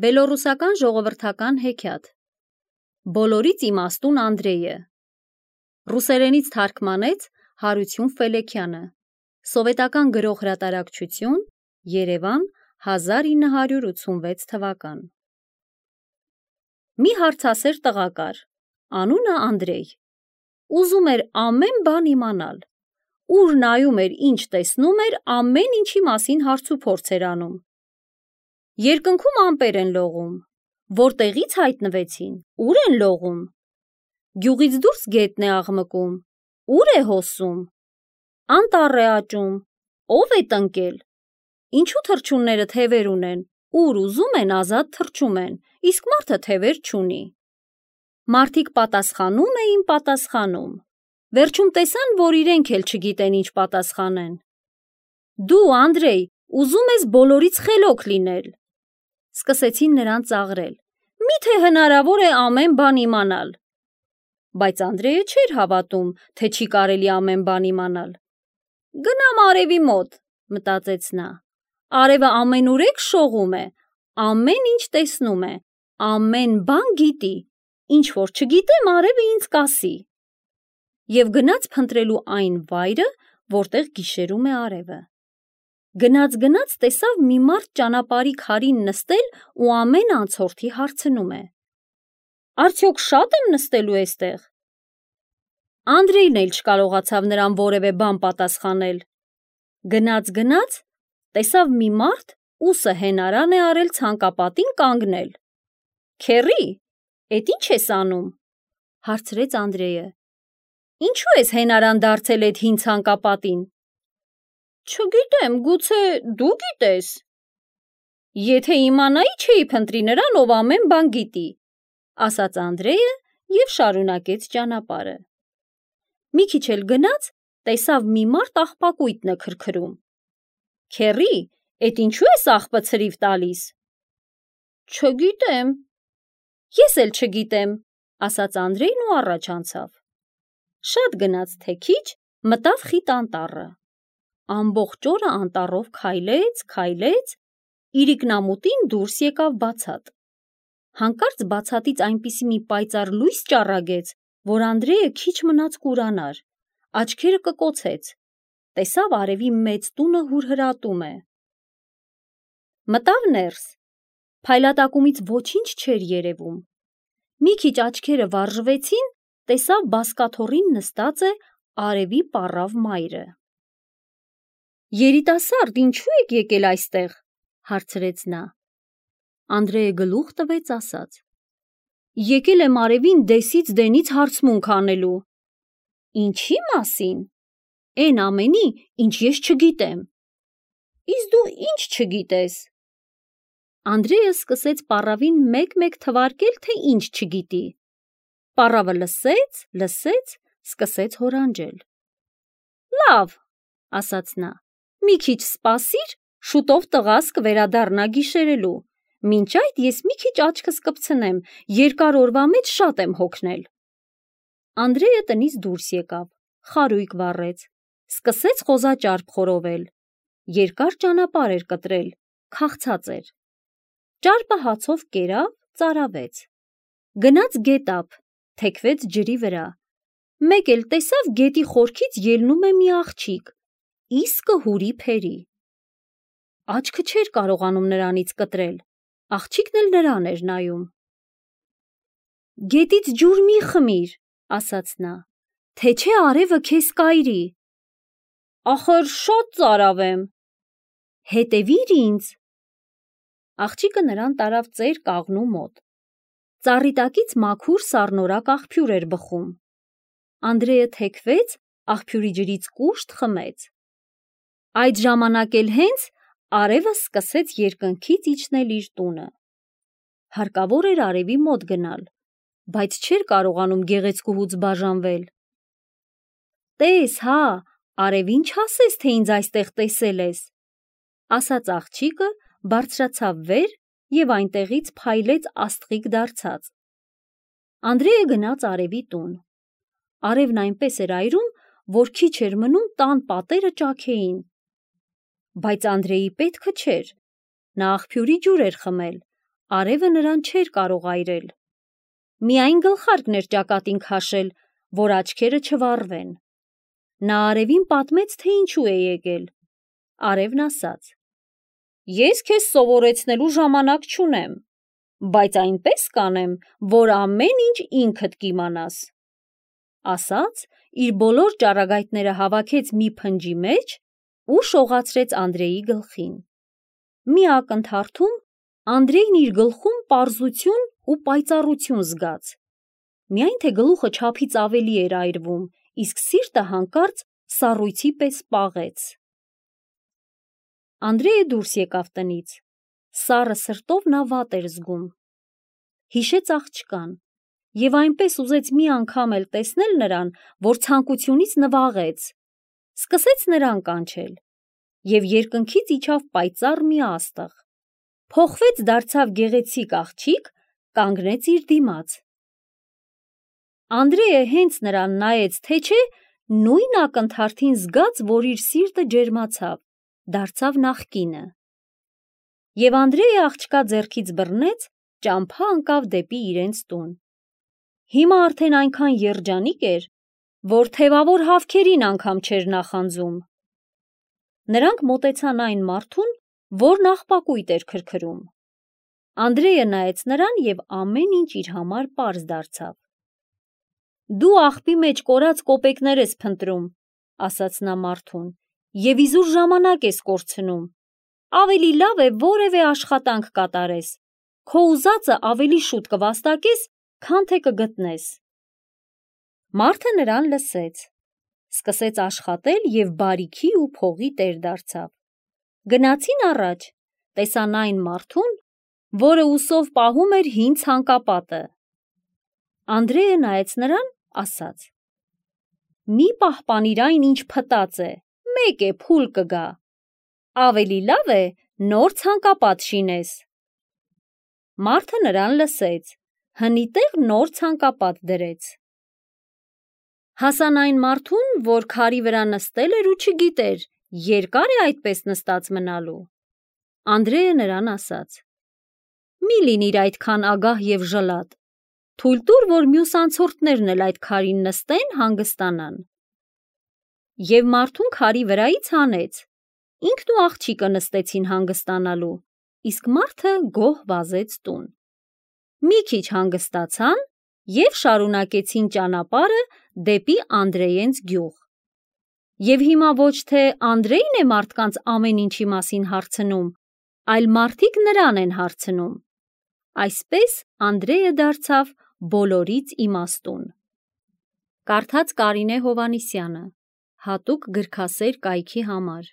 Բելոռուսական ժողովրդական հեքիաթ Բոլորից իմաստուն Անդրեյը Ռուսերենից թարգմանեց Հարություն Ֆելեքյանը Սովետական գրող հրատարակչություն Երևան 1986 թվական Մի հարցասեր տղա կար, անունը Անդրեյ, ուզում էր ամեն բան իմանալ, ուր նայում էր, ինչ տեսնում էր, ամեն ինչի մասին հարցուփորձ էր անում. Երկնքում ամպեր են լողում, որտեղից հայտնվեցին, ուր են լողում, գյուղից դուրս գետն է աղմկում, ուր է հոսում, անտառ է աճում, ով է տնկել, ինչու թռչունները թևեր ունեն, ուր ուզում են ազատ թռչում են, իսկ մարդը թևեր չունի. Մարդիկ պատասխանում էին պատասխանում, վերջում տեսան, որ իրենք էլ չգիտեն ինչ պատասխանեն. Դու, Անդրեյ, ուզում ես բոլորից խելոք լինել. Սկսեցին նրան ծաղրել. Միթե հնարավոր է ամեն բան իմանալ. Բայց Անդրեյը չէր հավատում, թե չի կարելի ամեն բան իմանալ. Գնամ արևի մոտ, մտածեց նա. Արևը ամենուրեք շողում է, ամեն ինչ տեսնում է, ամեն բան գիտի, ինչ որ չգիտեմ, արևը ինձ կասի. Եվ գնաց փնտրելու այն վայրը, որտեղ գիշերում է արևը. Գնաց տեսավ մի մարդ ճանապարհի քարին նստել ու ամեն անցորդի հարցնում է. Արդյոք շատ եմ նստելու էստեղ? Անդրեյն էլ չկարողացավ նրան որևէ բան պատասխանել. Գնաց, տեսավ մի մարդ ուսը հենարան է արել ցանկապատին կանգնել. Քեռի, էդ ինչ ես անում? Հարցրեց Անդրեյը. Ինչու ես հենարան դարձել էդ հին ցանկապատին? Չգիտեմ, գուցե դու գիտես. Եթե իմանայի, չէի փնտրի նրան, ով ամեն բան գիտի, ասաց Անդրեյը և շարունակեց ճանապարհը. Մի քիչ էլ գնաց, տեսավ մի մարդ աղբակույտն է քրքրում. Քեռի, էդ ինչու ես աղբը ցրիվ տալիս? Չգիտեմ. Ես էլ չգիտեմ, ասաց Անդրեյն ու առաջ անցավ. Շատ գնաց թե քիչ, մտավ խիտ անտառը. Ամբողջ օրը անտառով քայլեց, իրիկնամուտին դուրս եկավ բացատ. Հանկարծ բացատից այնպիսի մի պայծառ լույս ճառագեց, որ Անդրեյը քիչ մնաց կուրանար, աչքերը կկոցեց, տեսավ արևի մեծ տունը հուրհրատում է. Մտավ ներս, փայլատակումից ոչինչ չէր երևում, մի քիչ աչքերը վարժվեցին, տեսավ բազկաթոռին նստած է արևի պառավ մայրը. Երիտասարդ, ինչու եք եկել այստեղ? Հարցրեց նա. Անդրեյը գլուխ տվեց, ասաց. Եկել եմ արևին դեսից դենից հարցմունք անելու. Ինչի մասին? Էն ամենի, ինչ ես չգիտեմ. Իսկ դու ինչ չգիտես? Անդրեյը սկսեց պառավին մեկ-մեկ թվարկել, թե ինչ չգիտի. Պառավը լսեց, սկսեց հորանջել. Լավ, ասաց նա, մի քիչ սպասիր, շուտով տղաս կվերադառնա գիշերելու, մինչ այդ ես մի քիչ աչքս կպցնեմ, երկար օրվա մեջ շատ եմ հոգնել. Անդրեյը տնից դուրս եկավ, խարույկ վառեց, սկսեց խոզաճարպ խորովել, երկար ճանապարհ էր կտրել, քաղցած էր. Ճարպը հացով կերավ, ծարավեց, գնաց գետափ, թեքվեց ջրի վրա, մեկ էլ տեսավ գետի խորքից ելնում է մի աղջիկ, իսկը հուրի փերի. Աչքը չէր կարողանում նրանից կտրել, աղջիկն էլ նրան էր նայում. Գետից ջուր մի խմիր, ասաց նա, թե չէ արևը քեզ կայրի. Ախր շատ ծարավ եմ. Հետևիր ինձ. Աղջիկը նրան տարավ ծեր կաղնու մոտ. Ծառի տակից մաքուր սառնորակ աղբյուր էր բխում. Անդրեյը թեքվեց, աղբյուրի ջրից կուշտ խմեց. Այդ ժամանակ էլ հենց արևը սկսեց երկնքից իջնել իր տունը. Հարկավոր էր արևի մոտ գնալ, բայց չէր կարողանում գեղեցկուհուց բաժանվել. Տես, հա, արևին չասես, թե ինձ այստեղ տեսել ես, ասաց աղջիկը, բարձրացավ վեր և այնտեղից փայլեց աստղիկ դարձած. Անդրեյը գնաց արևի տուն. Արևն այնպես էր այրում, որ քիչ էր մնում տան պատերը ճաքեին. Բայց Անդրեյի պետքը չէր, նա աղբյուրի ջուր էր խմել, արևը նրան չէր կարող այրել։ Միայն գլխարկն էր ճակատին քաշել, որ աչքերը չվառվեն։ Նա արևին պատմեց, թե ինչու է եկել։ Արևն ասաց. «Ես քեզ սովորեցնելու ժամանակ չունեմ, բայց այնպես կանեմ, որ ամեն ինչ ինքդ կիմանաս»։ Ասաց, իր բոլոր ճառագայթները հավաքեց մի փնջի մեջ ու շողացրեց Անդրեի գլխին։ Մի ակնթարթում Անդրեյն իր գլխում պարզություն ու պայծառություն զգաց։ Միայն թե գլուխը չափից ավելի էր այրվում, իսկ սիրտը հանկարծ սառույցի պես պաղեց։ Անդրեյը դուրս եկավ տնից։ Սառը սրտով նա վատ էր զգում։ Հիշեց աղջկան և այնպես ուզեց մի անգամ էլ տեսնել նրան, որ ցանկությունից նվաղեց։ Սկսեց նրան կանչել և երկնքից իջավ պայծառ մի աստղ։ Փոխվեց, դարձավ գեղեցիկ աղջիկ, կանգնեց իր դիմաց։ Անդրեյը հենց նրան նայեց, թե չէ, նույն ակնթարթին զգաց, որ իր սիրտը ջերմացավ, դարձավ նախկինը։ Եվ Անդրեյը աղջկա ձեռքից բռնեց, ճամփա ընկավ դեպի իրենց տուն։ Հիմա արդեն այնքան երջանիկ էր, որ թևավոր հավքերին անգամ չէր նախանձում։ Նրանք մոտեցան այն մարդուն, որն աղբակույտ էր քրքրում։ Անդրեյը նայեց նրան և ամեն ինչ իր համար պարզ դարձավ։ «Դու աղբի մեջ կորած կոպեկներ ես փնտրում», ասաց նա մարդուն, «և իզուր ժամանակ ես կորցնում։ Ավելի լավ է որևէ աշխատանք կատարես, քո ուզածը ավելի շուտ կվաստակես, քան թե կգտնես»։ Մարդը նրան լսեց, սկսեց աշխատել և բարիքի ու փողի տեր դարձավ։ Գնացին առաջ, տեսան այն մարդուն, որը ուսով պահում էր հին ցանկապատը։ Անդրեյը նայեց նրան, ասաց. «Մի պահպանիր այն, ինչ փտած է, մեկ է փուլ կգա։ Ավելի լավ է նոր ցանկապատ շինես»։ Մարդը նրան լսեց, հնի տեղ նոր ցանկապատ դրեց։ Հասան այն մարդուն, որ քարի վրա նստել էր ու չգիտեր, երկար է այդպես նստած մնալու։ Անդրեյը նրան ասաց. «Մի լինիր այդքան ագահ և ժլատ, թույլ տուր, որ մյուս անցորդներն էլ այդ քարին նստեն, հանգստանան»։ Եվ մարդուն քարի վրայից հանեց, ինքն ու աղջիկը նստեցին հանգստանալու, իսկ մարդը գոհ վազեց տուն։ Մի քիչ հանգստացան և շարունակեցին ճանապարհը դեպի Անդրեյենց գյուղ։ Եվ հիմա ոչ թե Անդրեյն է մարդկանց ամեն ինչի մասին հարցնում, այլ մարդիկ նրան են հարցնում։ Այսպես Անդրեյը դարձավ բոլորից իմաստուն։ Կարդաց Կարինե Հովհաննիսյանը, հատուկ գրքասեր կայքի համար։